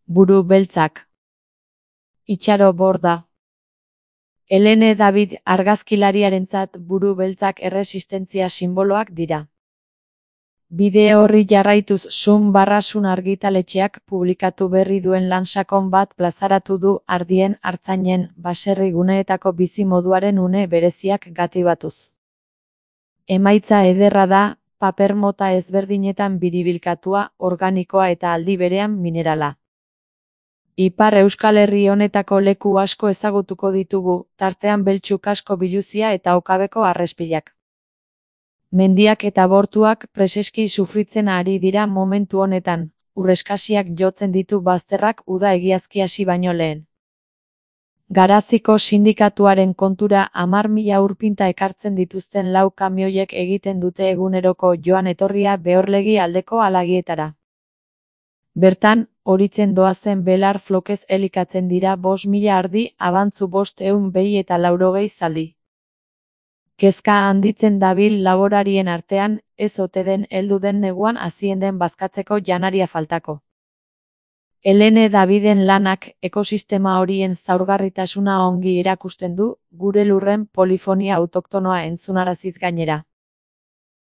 Buru beltzak. Itxaro Borda. Helene David argazkilariarentzat buru beltzak erresistentzia sinboloak dira. Bideo horri jarraituz Sun argitaletxeak publikatu berri duen lan sakon bat plazaratu du ardien, artzainen, baserri guneetako bizi moduaren une bereziak gatibatuz. Emaitza ederra da, paper mota ezberdinetan biribilkatua, organikoa eta aldi berean minerala. Ipar Euskal Herri honetako leku asko ezagutuko ditugu, tartean Beltxuk asko biluzia eta Okabeko harrespilak. Mendiak eta bortuak preseski sufritzen ari dira momentu honetan, urreskasiak jotzen ditu bazterrak uda egiazki hasi baino lehen. Garaziko sindikatuaren kontura 10.000 urpinta ekartzen dituzten 4 kamioiek egiten dute eguneroko joan etorria Behorlegi aldeko alagietara. Bertan, horitzen doazen belar flokez elikatzen dira 5.000 ardi, abantzu 500 behi eta 80 zaldi. Kezka handitzen dabil laborarien artean, ez ote den heldu den neguan hazien den bazkatzeko janaria faltako. Helene Daviden lanak ekosistema horien zaurgarritasuna ongi erakusten du, gure lurren polifonia autoktonoa entzunaraziz gainera.